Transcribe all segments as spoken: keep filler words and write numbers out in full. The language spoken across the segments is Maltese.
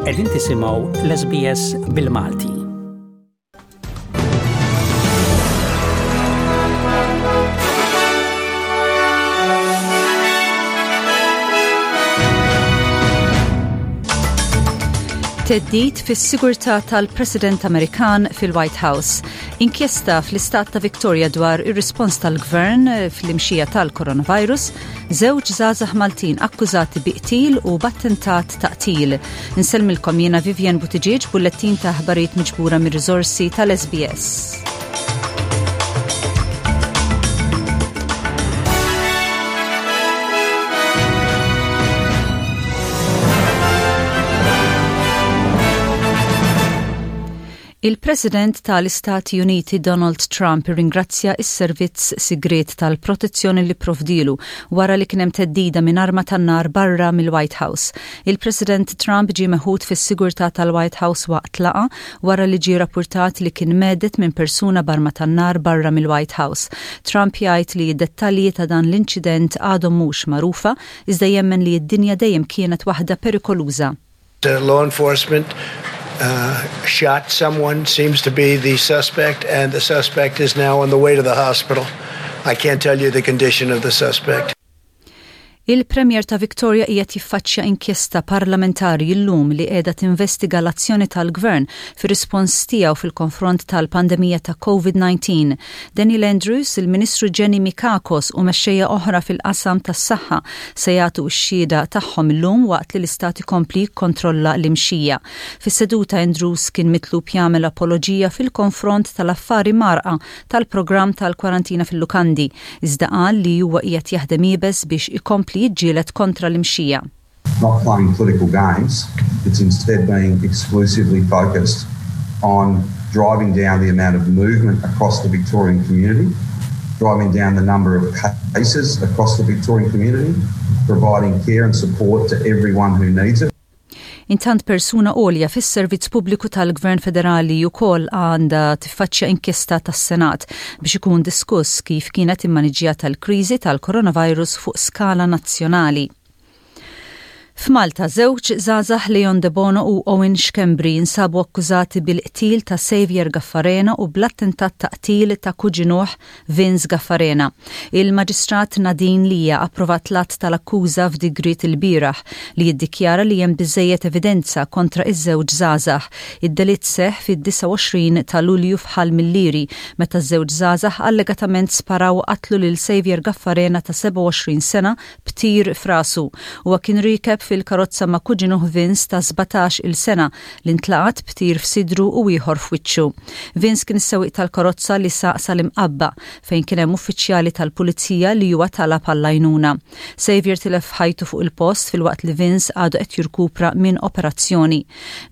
Qegħdin tisimgħu l-S B S bil-Malti. Theddid fis-sigurtà tal-President Amerikan fil-White House. Inkjesta fl-istat ta' Victoria dwar ir-rispons tal-gvern fl-imxija tal-coronavirus, żewġ żgħażagħ Maltin akkużati bi qtil u b'attentat ta' qtil. Insellmilkom jiena Vivian Buttigieg, bullettin ta' aħbarijiet miġbura mir-riżorsi tal-S B S. Il-President tal-Istati Uniti Donald Trump ringrazzja is-servizz sigriet tal-protezzjoni li provdilu wara li kien hemm theddida minn arma tan-nar barra mill-White House. Il-President Trump ġie meħud fis-sigurtà tal-White House waqt laqgħa wara li ġie rapportat li kien mhedded minn persuna b'arma tan-nar barra mill-White House. Trump jgħid li d-dettalji ta' dan l-inċident għadhom mhux magħrufa, iżda jemmen li d-dinja dejjem kienet waħda perikoluża. Uh, law enforcement uh, shot someone, seems to be the suspect, and the suspect is now on the way to the hospital. I can't tell you the condition of the suspect. Il-Premier ta' Victoria qiegħed jiffaċċja inkjesta parlamentari llum li qiegħda tinvestiga l-azzjoni tal-gvern fir-rispons tiegħu fil-konfront tal-pandemija ta' COVID nineteen. Daniel Andrews, il-Ministru Jenny Mikakos u mexxejja oħra fil-qasam tas-saħħa se jagħtu x-xhieda tagħhom illum waqt li l-istat ikompli jikkontrolla l-imxija. Fis-seduta, Andrews kien mitlub jagħmel apoloġija fil-konfront tal-affari mgħarrqa tal-programm tal-kwarantina fil-lukandi, iżda qal li huwa qiegħed jaħdem iebes biex ikompli jiġġieled kontra l-imxija. Not playing political games, it's instead being exclusively focused on driving down the amount of movement across the Victorian community, driving down the number of cases across the Victorian community, providing care and support to everyone who needs it. Intant, persuna għolja fis-servizz pubbliku tal-Gvern Federali wkoll għandha tiffaċċja inkjesta tas-Senat biex ikun diskuss kif kienet immaniġjata l-kriżi tal-coronavirus fuq skala nazzjonali. F'Malta, żewġ żgħażagħ, Leon De Bono u Owen Schembri, jinsabu akkużati bil-qtil ta' Xavier Gaffarena u bl-attentat ta' qtil ta' kuġinuh Vince Gaffarena. Il-Maġistrat Nadine Lia approvat l-att tal-akkuża f'digriet il-bieraħ li jiddikjara li hemm biżejjed evidenza kontra iż-żewġ żgħażagħ. Id-delitt seħ fid-disgħa u għoxrin ta' Lulju f'Ħal Millieri, meta ż-żewġ żgħażagħ allegatament sparaw, qatlu lil Xavier Gaffarena ta' sebgħa u għoxrin sena b'tir f'rasu. Huwa kien riekeb fil-karozza ma' kuġinuh Vince ta' sbatax il-sena li ntlaqat b'tir f'sidru u ieħor f'wiċċu. Vince kien is-sewwieq tal-karozza li saq sal-Imqabba, fejn kien hemm uffiċjali tal-pulizija li huwa talab għall-għajnuna. Xavier tilef ħajtu fuq il-post, filwaqt li Vince għadu qed jirkupra minn operazzjoni.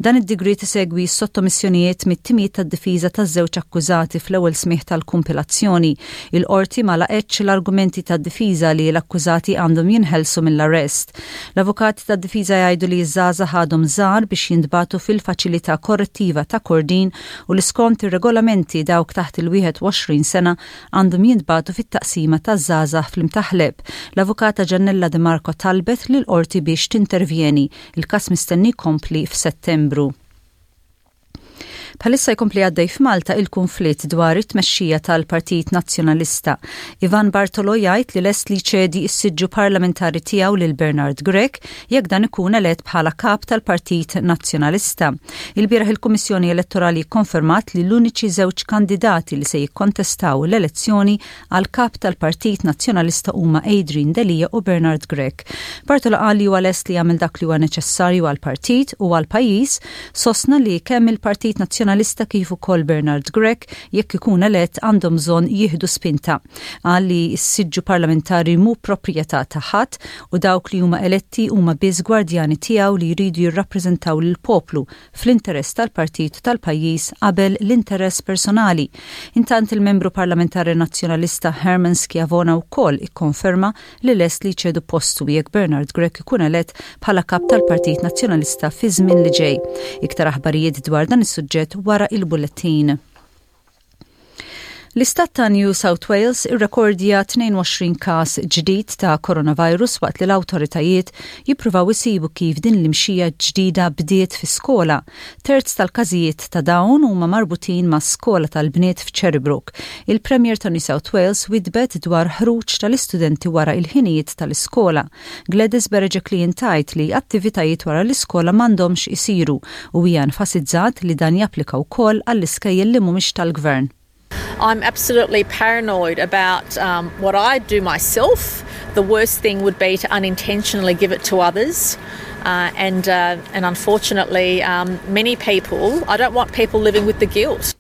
Dan id-digriet isegwi sottomissjonijiet mit-timijiet tad-difiża taż-żewġ akkużati fl-ewwel smigħ tal-kumpilazzjoni. Il-qorti ma laqgħetx l-argumenti tad-difiża li l-akkużati għandhom jinħelsu mill-arrest. L-avukati tad-difiża jgħidu li ż-żgħażagħ għadhom żgħar biex jintbagħtu fil-faċilità korrettiva ta' Kordin u li skont ir-regolamenti dawk taħt il-wieħed u għoxrin sena għandhom jintbagħtu fit-taqsima taż-żgħażagħ fl-Imtaħleb. L-avukata Giannella De Marco talbet lil qorti biex tintervjeni. Il-kas mistenni jkompli f'Settembru. Bħalissa jkompli għaddej f'Malta il-konflitt dwar it-tmexxija tal-Partit Nazzjonalista. Ivan Bartolo jgħid li lest li jċedi s-siġġu parlamentari tiegħu lil Bernard Grech jekk dan ikun elett bħala kap tal-Partit Nazzjonalista. Il-bieraħ il-Kummissjoni Elettorali konfermat li l-uniċi żewġ kandidati li se jikkontestaw l-elezzjoni għal kap tal-Partit Nazzjonalista huma Adrian Delia u Bernard Grech. Bartolo qal li huwa lest li jagħmel dak li huwa neċessarju għall-partit u għall-pajjiż, sostna li kemm il-Partit Nazzjonalista kif ukoll Bernard Grech, jekk ikun elett, għandhom bżonn jieħdu spinta. Qal li s-siġġu parlamentari mhu proprjetà ta' ħadd u dawk li huma eletti huma biss gwardjani tiegħu li jridu jirrappreżentaw lill-poplu fl-interess tal-partit, tal-pajjiż, qabel l-interess personali. Intant, il-membru parlamentari nazzjonalista Herman Schiavona wkoll ikkonferma li lest li jċedi postu jekk Bernard Grech ikun elett bħala kap tal-Partit Nazzjonalista fi żmien li ġej. Iktar aħbarijiet dwar dan is-suġġett wara il-bullettin. L-istat ta' New South Wales irrekordja tnejn u għoxrin każ ġdid ta' coronavirus waqt li l-awtoritajiet jippruvaw isibu kif din l-imxija ġdida bdiet fi skola. Terz tal-każijiet ta' dawn huma marbutin ma' skola tal-bniet f'Cherrybrook. Il-Premier ta' New South Wales widbet dwar ħruġ tal-istudenti wara il-ħinijiet tal-iskola. Gladys Berejiklian tgħid li attivitajiet wara l-iskola m'għandhomx isiru u hija enfasizzat li dan japplika wkoll għall-iskejjel li mhumiex tal-gvern. I'm absolutely paranoid about um, what I do myself. The worst thing would be to unintentionally give it to others. Uh, and, uh, and unfortunately, um, many people, I don't want people living with the guilt.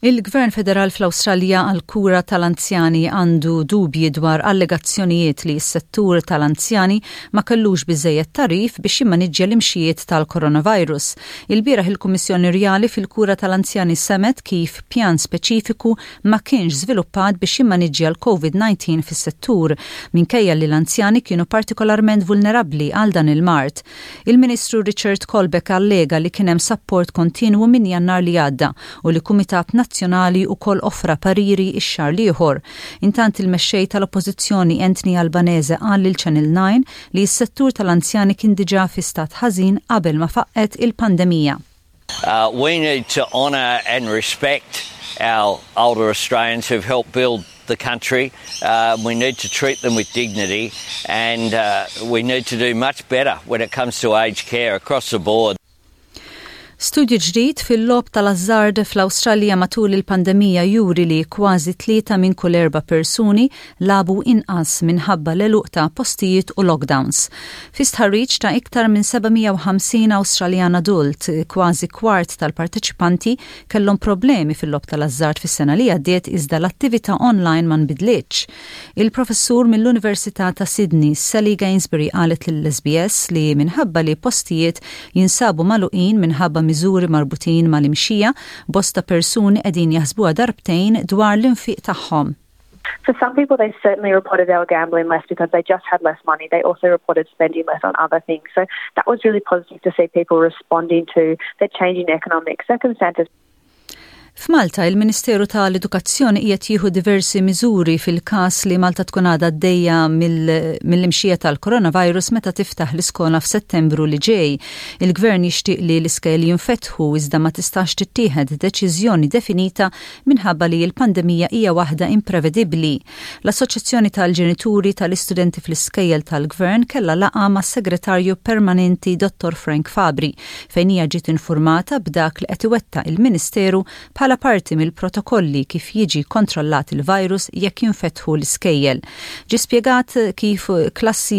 Il-Gvern Federal fl-Awstralja għal-kura tal-anzjani għandu dubji dwar allegazzjonijiet li s-settur tal-anzjani ma kellux biżejjed tagħrif biex jimmaniġġja l-imxijiet tal-coronavirus. Il-bieraħ il-Kummissjoni Rjali fil-kura tal-anzjani semgħet kif pjan speċifiku ma kienx żviluppat biex jimmaniġġja l-COVID nineteen fis-settur minkejja li l-anzjani kienu partikolarment vulnerabbli għal dan il-mard. Il-Ministru Richard Colbeck allega li kien hemm support kontinwu minn Jannar li għadda u li Kumitat Nazzjonali ukoll offra pariri ix-xahar l-ieħor. Intant, il-mexxej tal-Oppożizzjoni Anthony Albanese qal lil Channel nine li s-settur tal-anzjani kien diġà fi stat ħażin qabel ma faqqet il-pandemija. Uh, we need to honour and respect our older Australians who've helped build the country. Uh, we need to treat them with dignity and uh, we need to do much better when it comes to aged care across the board. Studju ġdid fil-logħob tal-azzard fl-Awstralja matul il-pandemija juri li kważi tlieta minn kull erba' persuni lagħbu inqas minħabba l-għeluq ta' postijiet u lockdowns. Fi stħarriġ ta' iktar minn seba' mija u ħamsin Awstraljan adult, kważi kwart tal-parteċipanti kellhom problemi fil-logħob tal-azzard fis-sena li għaddiet, iżda l-attività online ma nbidlitx. Il-professur mill-Università ta' Sydney, Sally Gainsbury, qalet lill-S B S li minħabba li postijiet jinsabu magħluqin minħabba miżuri marbutin mal-imxija, bosta persuni qegħdin jaħsbuha darbtejn dwar l-infiq tagħhom. For some people, they certainly reported they were gambling less because they just had less money. They also reported spending less on other things. So that was really positive to see people responding to their changing economic circumstances. F'Malta, il-Ministeru tal-Edukazzjoni qiegħed jieħu diversi miżuri fil-każ li Malta tkun għadha għaddejja mill-imxija tal-coronavirus meta tiftaħ l-iskola f'Settembru li ġej. Il-Gvern jixtieq li l-iskejjel jinfetħu, iżda ma tistax tittieħed deċiżjoni definita minħabba li l-pandemija hija waħda imprevedibbli. L-Assoċjazzjoni tal-Ġenituri tal-Istudenti fl-Iskejjel tal-Gvern kellha laqgħa mas-Segretarju Permanenti Dottor Frank Fabri, fejn hija ġiet informata b'dak li qed iwettaq il-Ministeru bħala parti mill-protokolli kif jiġi kontrollat il-virus jekk jinfetħu l-iskejjel. Ġi spjegat kif klassi,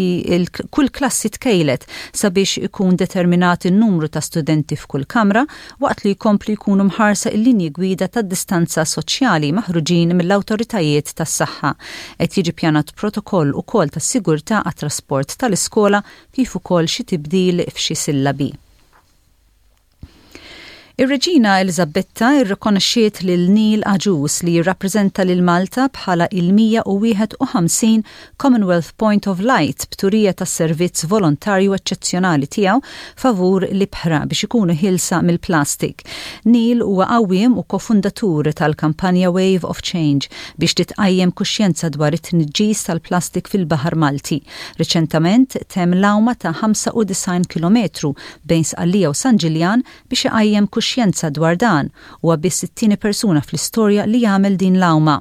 kull klassi tkejlet sabiex ikun determinat il-numru ta' studenti f'kull kamra, waqt li jkomplu jkunu mħarsa il-linji gwida ta' distanza soċjali maħruġin mill-awtoritajiet tas-saħħa. Qed jiġi pjanat protokoll ukoll ta' sigurtà għat-trasport tal-iskola, kif ukoll xi tibdil f'xi sillabi. Ir-Reġina Elizabetta irrikonoxxiet lil Neil Agius, li jirrappreżenta lil Malta bħala il-mija u wieħed u ħamsin Commonwealth Point of Light, b'turija tas servizz volontarju eċċezzjonali tiegħu favur l-ibħra biex ikunu ħielsa mill-plastik. Neil huwa għawwiem u kofundatur tal-kampanja Wave of Change biex titqajjem kuxjenza dwar it-tniġġis tal-plastik fil-Baħar Malti. Riċentament temm l-għawma ta' ħamsa u disgħin kilometru bejn Sqallija u San Ġiljan biex iqajjem kuxjenza dwar dan, u biss it-tieni persuna fl-istorja li jagħmel din l-għawma.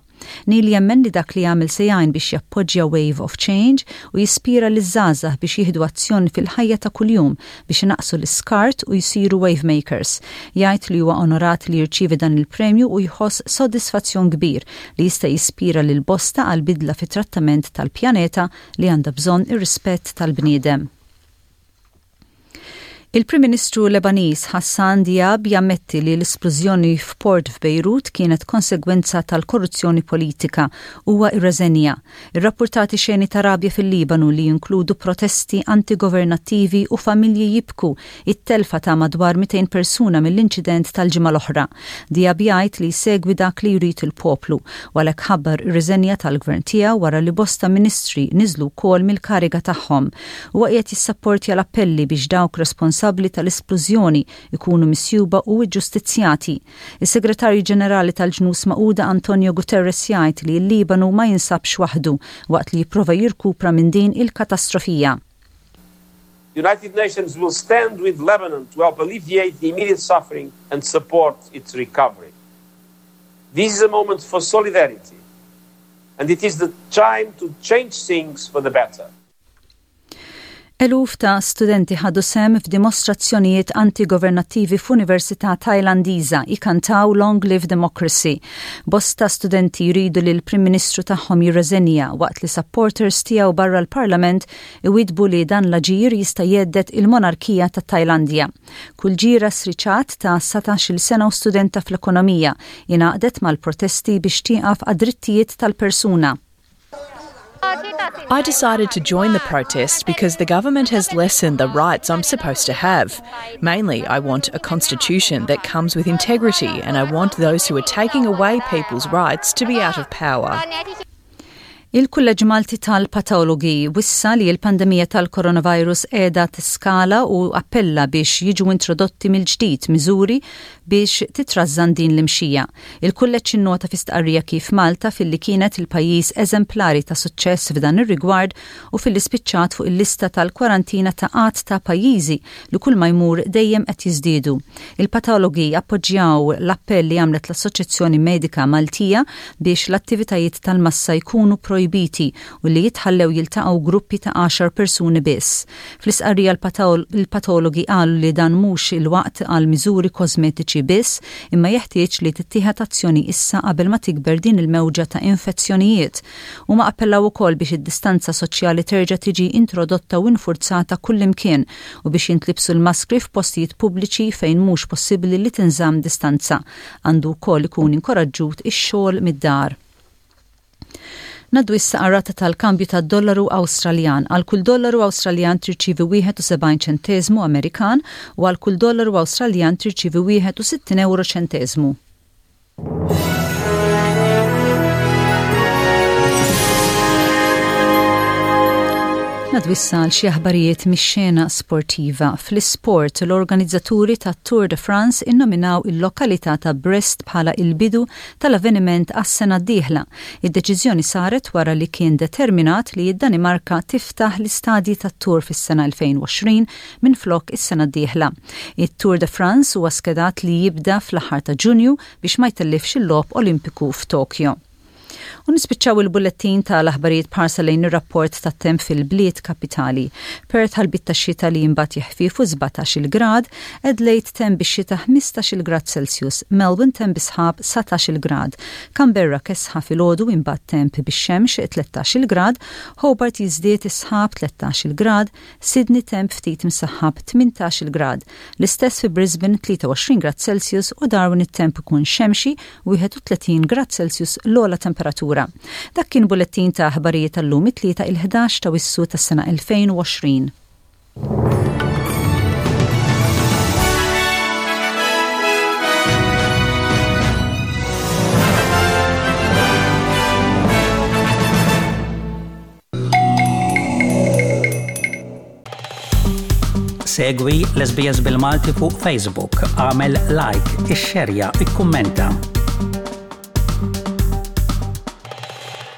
Neil jemmen li dak li jagħmel se jgħin biex jappoġġja Wave of Change u jispira liż-żgħażagħ biex jieħdu azzjoni fil-ħajja ta' kuljum biex inaqqsu l-iskart u jsiru wave makers. Jgħid li huwa onorat li jirċievi dan il-premju u jħoss sodisfazzjon kbir li jista' jispira lil bosta għal bidla fit-trattament tal-pjaneta li għandha bżonn ir-rispett tal-bniedem. Il-Prim Ministru Lebaniż Hassan Diab jammetti li l-esplużjoni f'port f'Bejrut kienet konsegwenza tal-korruzzjoni politika. Huwa irreżenja. Irrappurtati xeni ta' rabja fil-Libanu li jinkludu protesti antigovernattivi u familji jibku it-telfa ta' madwar mitejn persuna mill-inċident tal-ġimgħa l-oħra. Diab jgħid li segwi dak li jrid il-poplu u għalhekk ħabbar ir-riżenja tal-gvern tiegħu wara li bosta ministri niżlu wkoll mill-kariga tagħhom. Huwa qiegħed jissapportja l-appelli biex dawk responsabbli responsabbli tal-isplużjoni ikunu misjuba u ġustizzjati. Is-Segretarju Ġenerali tal-Ġnus Magħquda Antonio Guterres jgħid li l-Libanu ma jinsabx waħdu waqt li jipprova jirkupra minn din il-katastrofija. The United Nations will stand with Lebanon to help alleviate the immediate suffering and support its recovery. This is a moment for solidarity, and it is the time to change things for the better. Eluf ta' studenti ħadu sehem f'dimostrazzjonijiet antigovernattivi f'Università Tajlandiża ikantaw Long Live Democracy. Bosta studenti jridu li l-Prim Ministru tagħhom jirreżenja waqt li supporters tiegħu barra l-Parlament iwidbu li dan l-aġir jista' jhedded il-monarkija ta' Tajlandja. Kuljira Sriċat ta' satax-il sena u studenta fl-ekonomija ingħaqdet mal-protesti biex tieqaf għad-drittijiet tal-persuna. I decided to join the protest because the government has lessened the rights I'm supposed to have. Mainly, I want a constitution that comes with integrity, and I want those who are taking away people's rights to be out of power. Il-Kulleġġ Malti tal-Patologi wissa li l-pandemija tal-coronavirus qiegħda tiskala u appella biex jiġu introdotti mill-ġdid miżuri biex titrażżan din l-imxija. Il-kulleġġ innota fi stqarrija kif Malta filli kienet il-pajjiż eżemplari ta' suċċess f'dan ir-rigward u filli spiċċat fuq il-lista tal-kwarantina ta' għadd ta' pajjiżi li kull ma jmur dejjem qed jiżdiedu. Il-patologi appoġġjaw l-appell li għamlet l-Assoċjazzjoni Medika Maltija biex l-attivitajiet tal-massa jkunu projbiti u li jitħallew jiltaqgħu gruppi ta' għaxar persuni biss. Fl-istqarrija il-patologi qalu li dan mhux il-waqt għal miżuri kosmetiċi biss, imma jeħtieġ li tittieħed azzjoni issa qabel ma tikber din il-mewġa ta' infezzjonijiet. Huma appellaw ukoll biex id-distanza soċjali terġa' tiġi introdotta u infurzata kullimkien u biex jintlibsu l-maskri f'postijiet pubbliċi fejn mhux possibbli li tinżamm distanza. Għandu wkoll ikun inkoraġġut ix-xogħol mid-dar. Ngħaddu issa għar-rata tal-kambju tad-dollaru Awstraljan. Għal kull dollaru Awstraljan tirċivi wieħed u sebgħin ċentesmu Amerikan u għal kull dollaru Awstraljan tirċivi wieħed u sittin euro ċentesmu. Ngħaddu issa għal xi aħbarijiet mix-xena sportiva. Fl-isport, l-organizzaturi ta' Tour de France innominaw il-lokalità ta' Brest bħala il-bidu tal-avveniment għas-sena d-dieħla. Id-deċiżjoni saret wara li kien determinat li id-Danimarka tiftaħ l-istadji tat-Tour fis-sena elfejn u għoxrin minn flok is-sena d-dieħla. Il-Tour de France huwa skedat li jibda fl-aħħar ta' Ġunju biex ma jtellifx il-logħob Olimpiku f'Tokyo. U nispiċċaw il-bullettin tal-aħbarijiet b'ħarsa lejn ir-rapport tat-temp fil-bliet kapitali. Perth ħalbiet ta' xita li imbagħad jeħfifu sbatax-il grad, Adelaide temp bix-xita ħmistax-il grad Celsius, Melbourne temp bis-sħab satax-il grad, Canberra kesħa filgħodu imbagħad temp bix-xemx tlettax-il grad, Hobart jiżdied is-sħab tlettax-il grad, Sydney temp ftit msaħħab tmintax-il grad, l-istess fi Brisbane tlieta u għoxrin grad Celsius u Darwin it-temp ikun xemxi wieħed u tletin grad Celsius l-ogħla temperatura. Dak kien bullettin ta' aħbarijiet tal-lum it-tlieta il-ħdax ta' Awwissu tas-sena elfejn u għoxrin. Segwi l-S B S bil-Malti fuq Facebook, agħmel like, ixxerja, ikkummenta.